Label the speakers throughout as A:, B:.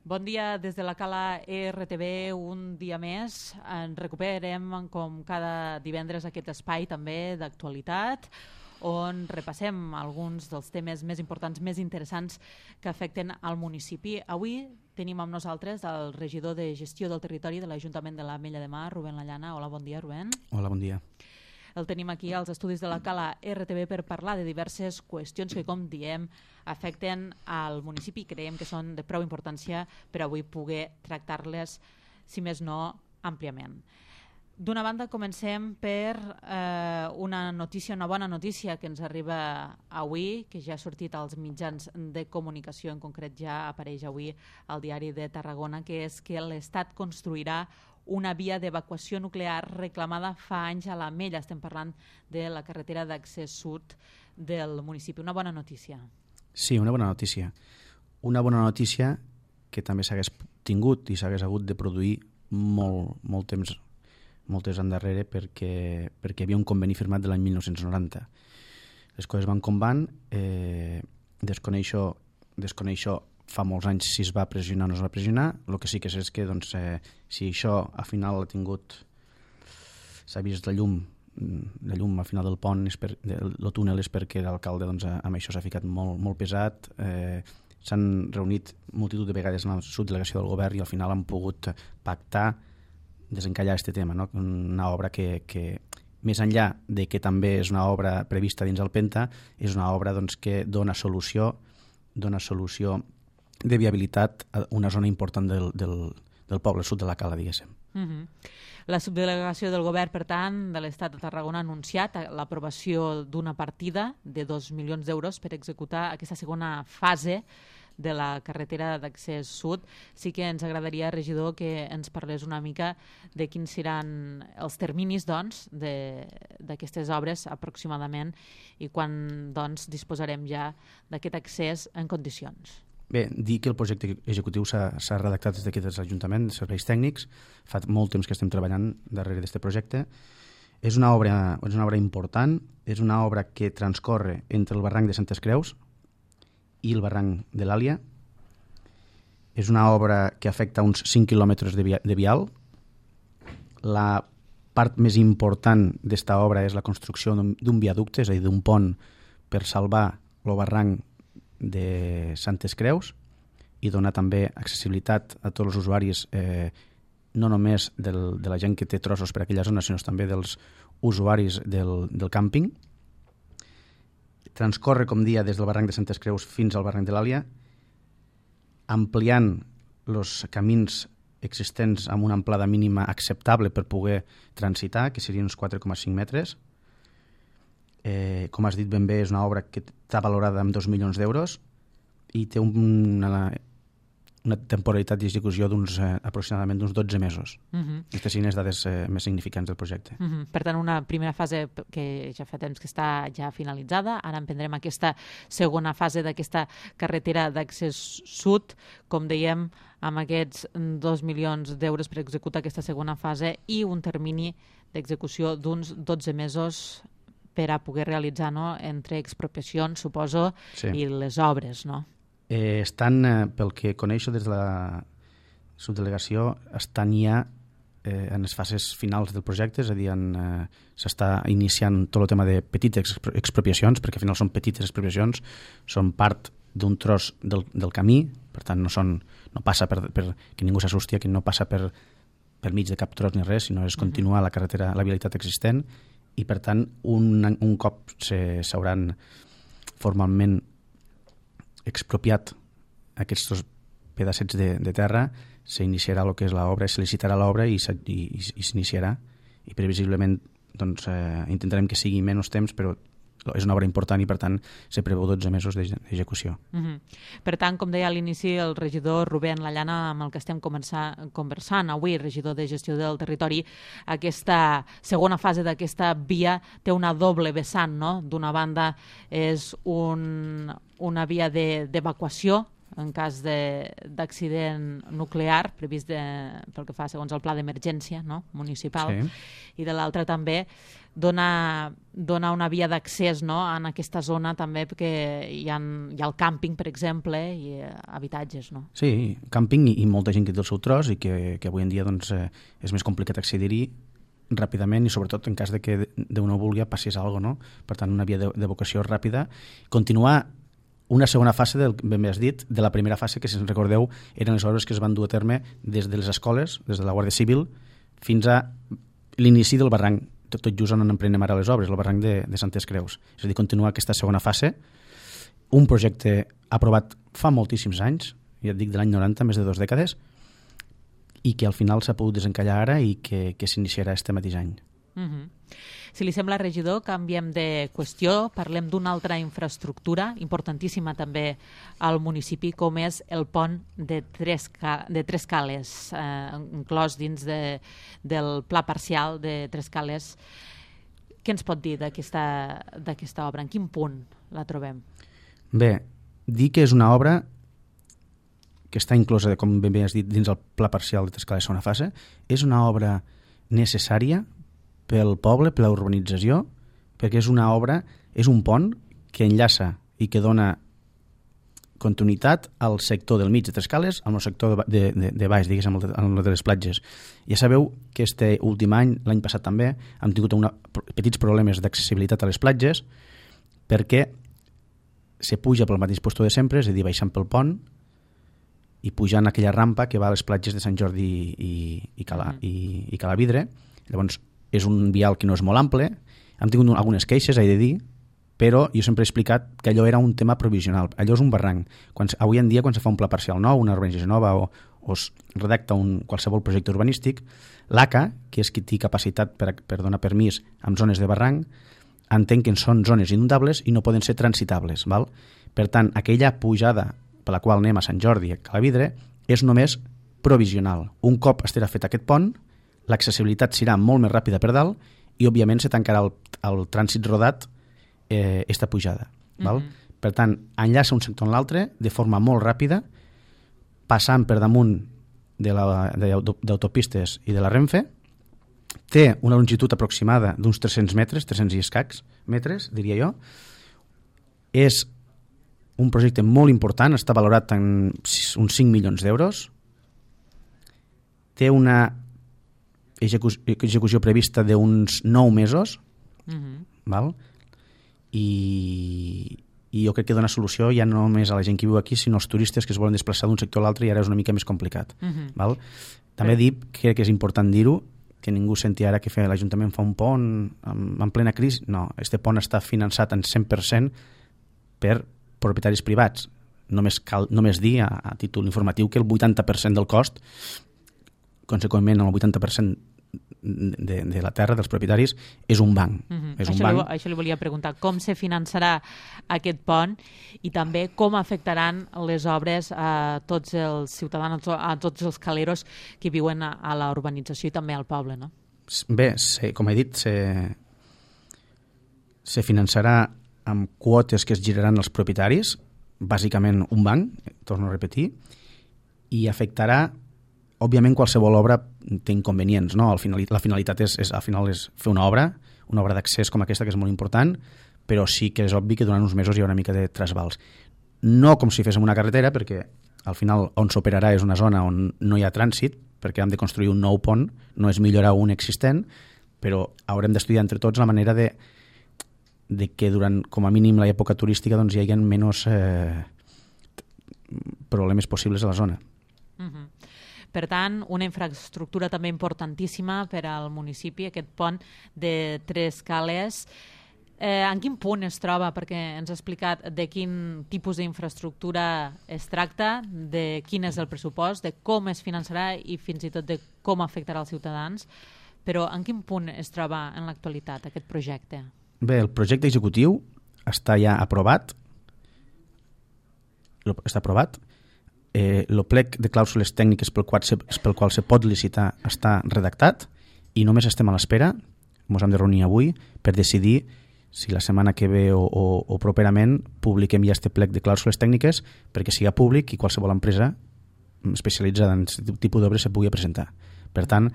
A: Bon dia des de la Cala RTV, un dia més. En recuperem com cada divendres aquest espai també d'actualitat on repassem alguns dels temes més importants, més interessants que afecten al municipi. Avui tenim amb nosaltres el regidor de Gestió del Territori de l'Ajuntament de l'Ametlla de Mar, Rubén Lallana. Hola, bon dia, Rubén.
B: Hola, bon dia.
A: El tenim aquí als estudis de la Cala RTV per parlar de diverses qüestions que, com diem, afecten al municipi i creiem que són de prou importància per avui poder tractar-les, si més no, àmpliament. D'una banda, comencem per una bona notícia que ens arriba avui, que ja ha sortit als mitjans de comunicació, en concret ja apareix avui al Diari de Tarragona, que és que l'Estat construirà una via d'evacuació nuclear reclamada fa anys a l'Ametlla. Estem parlant de la carretera d'accés sud del municipi. Una bona notícia.
B: Sí, una bona notícia. Una bona notícia que també s'hagués tingut i s'hagués hagut de produir molt temps endarrere perquè hi havia un conveni firmat de l'any 1990. Les coses van com van, desconeixo fa molts anys si es va pressionar o no es va pressionar. El que sí que sé és que si això al final s'ha vist la llum al final del pont, el túnel, és perquè l'alcalde amb això s'ha ficat molt pesat. S'han reunit multitud de vegades en la subdelegació del govern i al final han pogut pactar desencallar aquest tema, no? Una obra que més enllà de que també és una obra prevista dins el Penta, és una obra que dona solució de viabilitat a una zona important del poble sud de la Cala, diguéssim.
A: La subdelegació del govern, per tant, de l'Estat de Tarragona ha anunciat l'aprovació d'una partida de 2 milions d'euros per executar aquesta segona fase de la carretera d'accés sud. Sí que ens agradaria, regidor, que ens parlés una mica de quins seran els terminis d'aquestes obres aproximadament i quan disposarem ja d'aquest accés en condicions.
B: Bé, dir que el projecte executiu s'ha redactat des d'aquest Ajuntament de Serveis Tècnics. Fa molt temps que estem treballant darrere d'aquest projecte. És una obra important, és una obra que transcorre entre el barranc de Santes Creus i el barranc de l'Àlia. És una obra que afecta uns 5 quilòmetres de vial. La part més important d'esta obra és la construcció d'un viaducte, és a dir, d'un pont per salvar el barranc de Santes Creus i donar també accessibilitat a tots els usuaris, no només de la gent que té trossos per aquella zona, sinó també dels usuaris del càmping. Transcorre, com dia, des del barranc de Santes Creus fins al barranc de l'Àlia, ampliant els camins existents amb una amplada mínima acceptable per poder transitar, que serien uns 4,5 metres. Com has dit ben bé, és una obra que està valorada amb 2 milions d'euros i té una temporalitat d'execució aproximadament d'uns 12 mesos. Aquestes són les dades més significants del projecte.
A: Per tant, una primera fase que ja fa temps que està ja finalitzada. Ara emprendrem aquesta segona fase d'aquesta carretera d'accés sud, com dèiem, amb aquests 2 milions d'euros per executar aquesta segona fase i un termini d'execució d'uns 12 mesos per a poder realitzar, no?, entre expropiacions, suposo, sí, i les obres, no?
B: Estan, pel que coneixo des de la subdelegació, estan ja en les fases finals del projecte, és a dir, s'està iniciant tot el tema de petites expropiacions, perquè al final són petites expropiacions, són part d'un tros del camí, per tant no passa per que ningú s'assusti, que no passa per mig de cap tros ni res, sinó és continuar la carretera, la vialitat existent, i per tant un cop s'hauran formalment expropiat aquests dos pedacets de terra, s'iniciarà el que és l'obra, se licitarà l'obra i s'iniciarà, i previsiblement intentarem que sigui menys temps, però és una obra important i per tant se preveu 12 mesos d'execució.
A: Per tant, com deia a l'inici el regidor Rubén Lallana, amb el que estem conversant avui, regidor de Gestió del Territori, aquesta segona fase d'aquesta via té una doble vessant, no? D'una banda és una via d'evacuació en cas d'accident nuclear previst pel que fa segons el pla d'emergència, no? Municipal, i de l'altra també dona una via d'accés, no? En aquesta zona també, perquè hi ha el càmping, per exemple, i habitatges. No?
B: Sí, càmping i molta gent que té el seu tros i que avui en dia doncs, és més complicat accedir-hi ràpidament i sobretot en cas de que Déu no vulgui passés alguna cosa, no? Per tant, una via d'evacuació ràpida. Continuar una segona fase, ben bé has dit, de la primera fase, que si ens recordeu eren les obres que es van dur a terme des de les escoles, des de la Guàrdia Civil, fins a l'inici del barranc, tot just on emprenem ara les obres, el barranc de Santes Creus. És a dir, continuar aquesta segona fase, un projecte aprovat fa moltíssims anys, ja et dic de l'any 90, més de 2 dècades, i que al final s'ha pogut desencallar ara i que s'iniciarà este mateix any.
A: Si li sembla, regidor, canviem de qüestió, parlem d'una altra infraestructura importantíssima també al municipi, com és el pont de Tres Cales, inclòs dins del pla parcial de Tres Cales. Què ens pot dir d'aquesta obra? En quin punt la trobem?
B: Bé, dir que és una obra que està inclosa, com ben bé has dit, dins el pla parcial de Tres Cales segona fase, és una obra necessària pel poble, per la urbanització, perquè és una obra, és un pont que enllaça i que dona continuïtat al sector del mig de Tres Cales amb el sector de baix, diguéssim, el de les platges. Ja sabeu que este últim any, l'any passat també, hem tingut petits problemes d'accessibilitat a les platges perquè se puja pel mateix lloc de sempre, és a dir, baixant pel pont i pujant aquella rampa que va a les platges de Sant Jordi i Calavidre. Llavors, és un vial que no és molt ample, hem tingut algunes queixes, he de dir, però jo sempre he explicat que allò era un tema provisional, allò és un barranc. Avui en dia, quan se fa un pla parcial nou, una urbanització nova o es redacta qualsevol projecte urbanístic, l'ACA, que és qui té capacitat per donar permís en zones de barranc, entén que són zones inundables i no poden ser transitables. Val? Per tant, aquella pujada per la qual anem a Sant Jordi i a Calavidre és només provisional. Un cop estarà fet aquest pont, l'accessibilitat serà molt més ràpida per dalt i, òbviament, se tancarà el trànsit rodat esta pujada. Val? Per tant, enllaça un sector amb l'altre de forma molt ràpida, passant per damunt d'autopistes i de la Renfe. Té una longitud aproximada d'uns 300 metres, 300 i escacs metres, diria jo. És un projecte molt important, està valorat en uns 5 milions d'euros. Té una execució prevista d'uns 9 mesos, val? I jo crec que dona solució ja no només a la gent que viu aquí, sinó als turistes que es volen desplaçar d'un sector a l'altre i ara és una mica més complicat. Val? També crec que és important dir-ho, que ningú senti ara que l'Ajuntament fa un pont en plena crisi. No, este pont està finançat en 100% per propietaris privats. Només dir a títol informatiu que el 80% del cost, conseqüentment el 80% de la terra dels propietaris és un banc.
A: Això li volia preguntar, com se finançarà aquest pont i també com afectaran les obres a tots els ciutadans, a tots els caleros que viuen a la urbanització i també al poble, no?
B: Bé, com he dit, se finançarà amb quotes que es giraran als propietaris, bàsicament un banc, torno a repetir, i afectarà, òbviament, qualsevol obra té inconvenients, no? La finalitat és fer una obra d'accés com aquesta, que és molt important, però sí que és obvi que durant uns mesos hi haurà una mica de trasbals. No com si féssim una carretera, perquè al final on s'operarà és una zona on no hi ha trànsit, perquè hem de construir un nou pont, no és millorar un existent, però haurem d'estudiar entre tots la manera de que durant, com a mínim, l'època turística doncs, hi hagi menys problemes possibles a la zona.
A: Per tant, una infraestructura també importantíssima per al municipi, aquest pont de Tres Cales. En quin punt es troba? Perquè ens ha explicat de quin tipus d'infraestructura es tracta, de quin és el pressupost, de com es finançarà i fins i tot de com afectarà els ciutadans. Però en quin punt es troba en l'actualitat aquest projecte?
B: Bé, el projecte executiu està ja aprovat. Està aprovat. El plec de clàusules tècniques pel qual se pot licitar està redactat i només estem a l'espera, ens hem de reunir avui, per decidir si la setmana que ve o properament publiquem ja este plec de clàusules tècniques perquè siga públic i qualsevol empresa especialitzada en aquest tipus d'obres se pugui presentar. Per tant,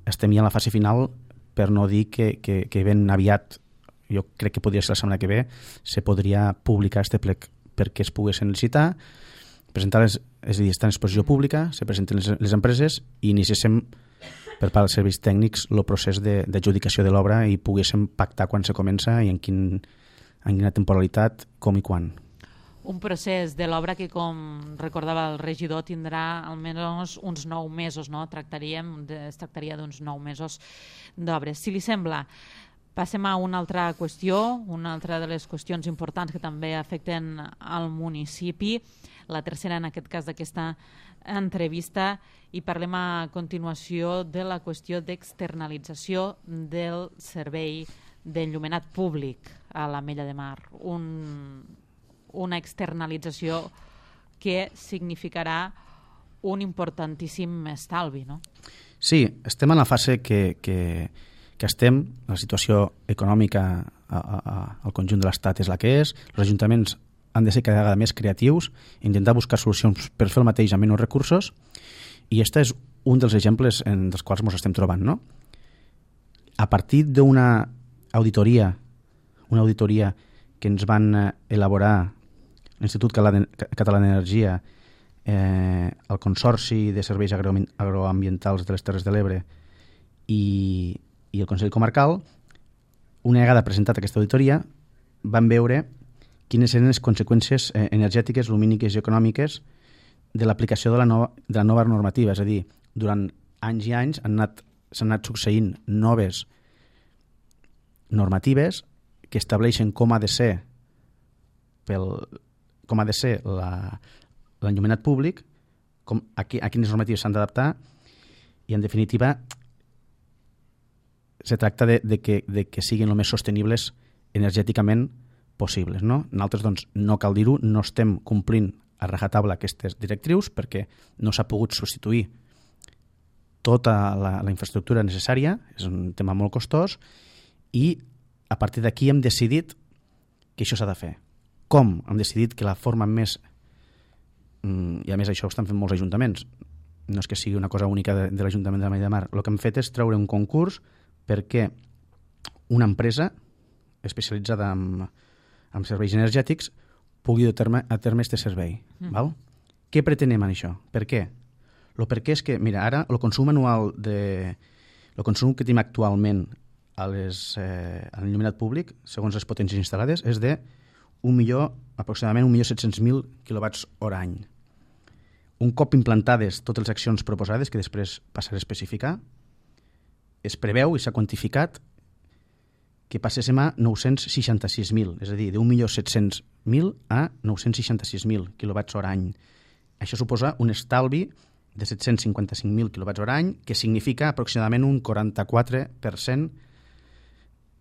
B: estem ja en la fase final, per no dir que ben aviat, jo crec que podria ser la setmana que ve, se podria publicar este plec perquè es poguessin licitar, presentar és a dir, està en exposició pública, se presenten les empreses i iniciéssim per part dels serveis tècnics el procés d'adjudicació de l'obra i poguéssim pactar quan se comença i en quina temporalitat, com i quan.
A: Un procés de l'obra que, com recordava el regidor, tindrà almenys uns 9 mesos, no? Es tractaria d'uns 9 mesos d'obres. Si li sembla, passem a una altra qüestió, una altra de les qüestions importants que també afecten al municipi, la tercera en aquest cas d'aquesta entrevista, i parlem a continuació de la qüestió d'externalització del servei d'enllumenat públic a l'Ametlla de Mar. Una externalització que significarà un importantíssim estalvi, no?
B: Sí, estem en la fase que estem, la situació econòmica al conjunt de l'Estat és la que és, els ajuntaments han de ser cada vegada més creatius, intentar buscar solucions per fer el mateix amb menys recursos, i aquest és un dels exemples dels quals ens estem trobant, no? A partir d'una auditoria que ens van elaborar l'Institut Català d'Energia, el Consorci de Serveis Agroambientals de les Terres de l'Ebre i el Consell Comarcal, una vegada presentat aquesta auditoria, van veure quines eren les conseqüències energètiques, lumíniques i econòmiques de l'aplicació de la nova normativa. És a dir, durant anys i anys s'han anat succeint noves normatives que estableixen com ha de ser l'enllumenat públic, a quines normatives s'han d'adaptar, i en definitiva se tracta de que siguin el més sostenibles energèticament possibles, no? Nosaltres, doncs, no cal dir-ho, no estem complint a rajatabla aquestes directrius perquè no s'ha pogut substituir tota la infraestructura necessària, és un tema molt costós, i a partir d'aquí hem decidit que això s'ha de fer. Com? Hem decidit que la forma més... I a més això ho estan fent molts ajuntaments, no és que sigui una cosa única de l'Ajuntament de l'Ametlla de Mar. El que hem fet és treure un concurs perquè una empresa especialitzada en serveis energètics pugui dur a terme aquest servei. Val? Què pretenem amb això? Per què? El per què és que, mira, ara el consum anual el consum que tenim actualment a l'enllumenat públic, segons les potències instal·lades, és de aproximadament 1.700.000 kWh any. Un cop implantades totes les accions proposades, que després passaré a especificar, es preveu i s'ha quantificat que passéssim a 966.000, és a dir, de 1.700.000 a 966.000 kWh any. Això suposa un estalvi de 755.000 kWh any, que significa aproximadament un 44%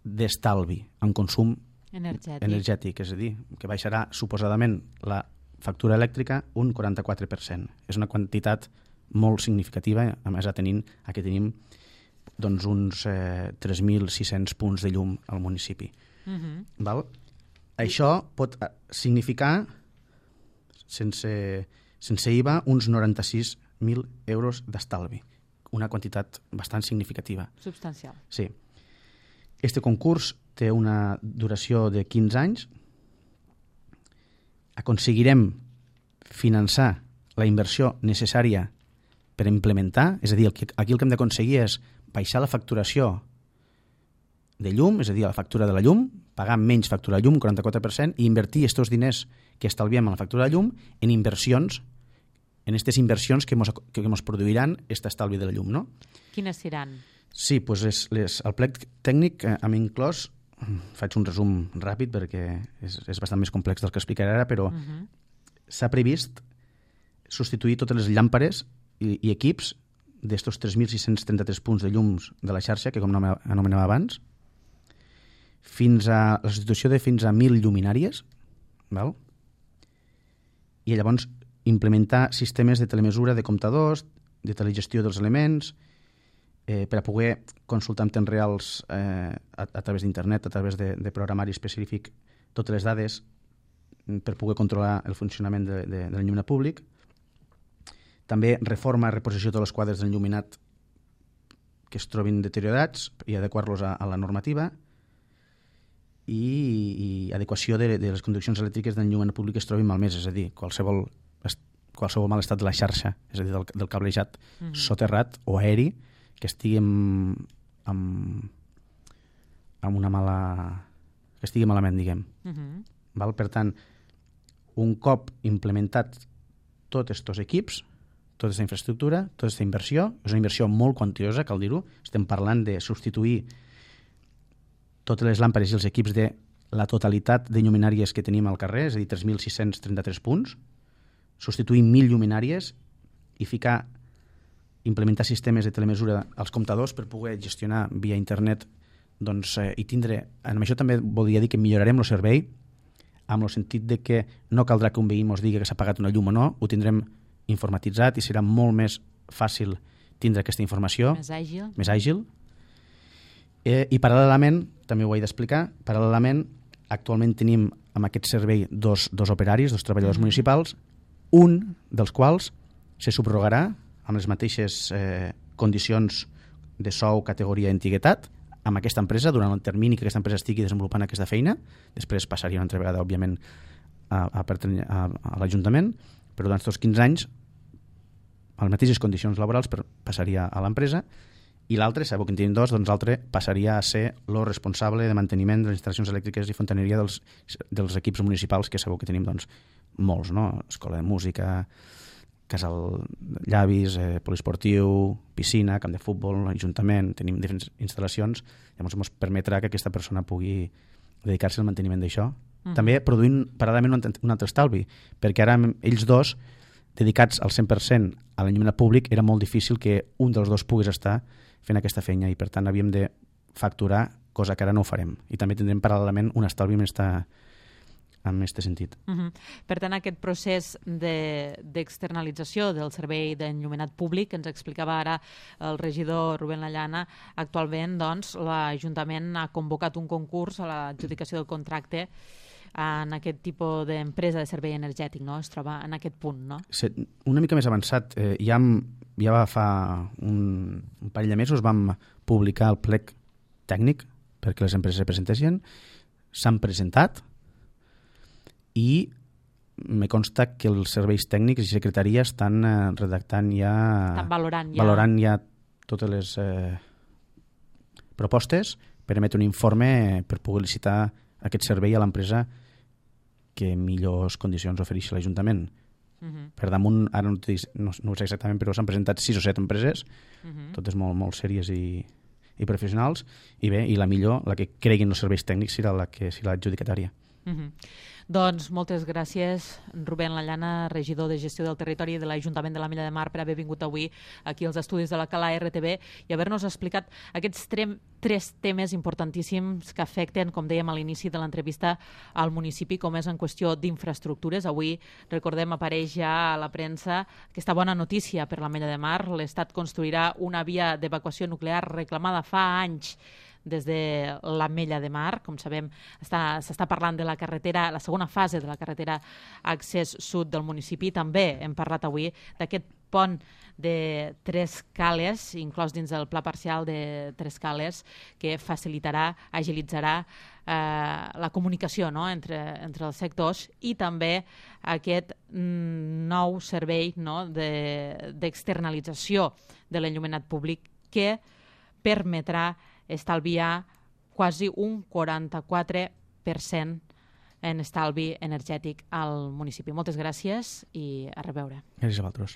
B: d'estalvi en consum energètic, és a dir, que baixarà suposadament la factura elèctrica un 44%. És una quantitat molt significativa, a més aquí tenim doncs uns 3.600 punts de llum al municipi. Val? Això pot significar, sense IVA, uns 96.000 euros d'estalvi. Una quantitat bastant significativa.
A: Substancial.
B: Sí. Este concurs té una duració de 15 anys. Aconseguirem finançar la inversió necessària per implementar, és a dir, aquí el que hem d'aconseguir és baixar la facturació de llum, és a dir, la factura de la llum, pagar menys factura de llum, 44%, i invertir aquests diners que estalviem en la factura de llum en inversions, en aquestes inversions que ens produiran aquest estalvi de la llum, no?
A: Quines seran?
B: Sí, doncs el plec tècnic hem inclòs, faig un resum ràpid perquè és bastant més complex del que explicaré ara, però s'ha previst substituir totes les llàmpares i equips d'estos 3.633 punts de llums de la xarxa, que com anomenava abans, fins a la substitució de fins a 1.000 lluminàries, val? I llavors implementar sistemes de telemesura de comptadors, de telegestió dels elements, per a poder consultar en temps reals a través d'internet, a través de programari específic, totes les dades per poder controlar el funcionament de l'enllumenat públic. També reforma i reposició de tots els quadres d'enllumenat que es trobin deteriorats i adequar-los a la normativa, i adequació de les conduccions elèctriques d'enllumenat públic que es trobin malmeses, és a dir, qualsevol mal estat de la xarxa, és a dir, del cablejat soterrat o aeri que estigui amb una mala... que estigui malament, diguem. Val? Per tant, un cop implementat tots aquests equips, tota aquesta infraestructura, tota aquesta inversió, és una inversió molt quantiosa, cal dir-ho, estem parlant de substituir totes les làmpades i els equips de la totalitat de lluminàries que tenim al carrer, és a dir, 3.633 punts, substituir 1.000 lluminàries i implementar sistemes de telemesura als comptadors per poder gestionar via internet, doncs, i tindre... Amb això també voldria dir que millorarem el servei amb el sentit de que no caldrà que un veí ens digui que s'ha pagat una llum o no, ho tindrem informatitzat i serà molt més fàcil tindre aquesta informació. Més àgil. I paral·lelament, també ho he d'explicar, paral·lelament, actualment tenim amb aquest servei dos operaris, dos treballadors municipals, un dels quals se subrogarà amb les mateixes condicions de sou, categoria i antiguitat amb aquesta empresa durant el termini que aquesta empresa estigui desenvolupant aquesta feina. Després passaria una altra vegada, òbviament, a l'Ajuntament, però durant aquests 15 anys a les mateixes condicions laborals passaria a l'empresa, i l'altre, sabeu que en tenim dos, doncs l'altre passaria a ser el responsable de manteniment de les instal·lacions elèctriques i fontaneria dels equips municipals, que sabeu que tenim doncs, molts, no? Escola de música, casal llavis, poliesportiu, piscina, camp de futbol, ajuntament, tenim diferents instal·lacions, llavors ens permetrà que aquesta persona pugui dedicar-se al manteniment d'això. També produint paral·lelament un altre estalvi, perquè ara ells dos, dedicats al 100% a l'enllumenat públic, era molt difícil que un dels dos pogués estar fent aquesta feina i per tant havíem de facturar, cosa que ara no ho farem. I també tindrem paral·lelament un estalvi en aquest sentit.
A: Per tant, aquest procés d'externalització del servei d'enllumenat públic, que ens explicava ara el regidor Rubén Lallana, actualment doncs, l'Ajuntament ha convocat un concurs a l'adjudicació del contracte en aquest tipus d'empresa de servei energètic, no? Es troba en aquest punt, no?
B: Una mica més avançat. Ja fa un parell de mesos vam publicar el plec tècnic perquè les empreses se presentessin. S'han presentat i me consta que els serveis tècnics i secretaria estan redactant ja...
A: Estan
B: valorant ja totes les propostes per emetre un informe per poder licitar aquest servei a l'empresa que millors condicions ofereixi l'Ajuntament. Per damunt, ara no ho sé exactament, però s'han presentat 6 o 7 empreses, totes molt sèries i professionals, i bé, i la millor, la que creguin els serveis tècnics, serà la adjudicatària.
A: Doncs moltes gràcies, Rubén Lallana, regidor de Gestió del Territori de l'Ajuntament de la Mella de Mar, per haver vingut avui aquí als estudis de la Cala RTV i haver-nos explicat aquests 3 temes importantíssims que afecten, com dèiem a l'inici de l'entrevista, al municipi, com és en qüestió d'infraestructures. Avui, recordem, apareix ja a la premsa aquesta bona notícia per la Mella de Mar. L'Estat construirà una via d'evacuació nuclear reclamada fa anys des de la Mella de Mar. Com sabem, s'està parlant de la carretera, la segona fase de la carretera accés sud del municipi. També hem parlat avui d'aquest pont de 3 cales, inclòs dins del pla parcial de 3 cales, que facilitarà, agilitzarà la comunicació, no?, entre els sectors, i també aquest nou servei, no?, d'externalització de l'enllumenat públic que permetrà estalviar quasi un 44% en estalvi energètic al municipi. Moltes gràcies i a reveure.
B: Gràcies a vosaltres.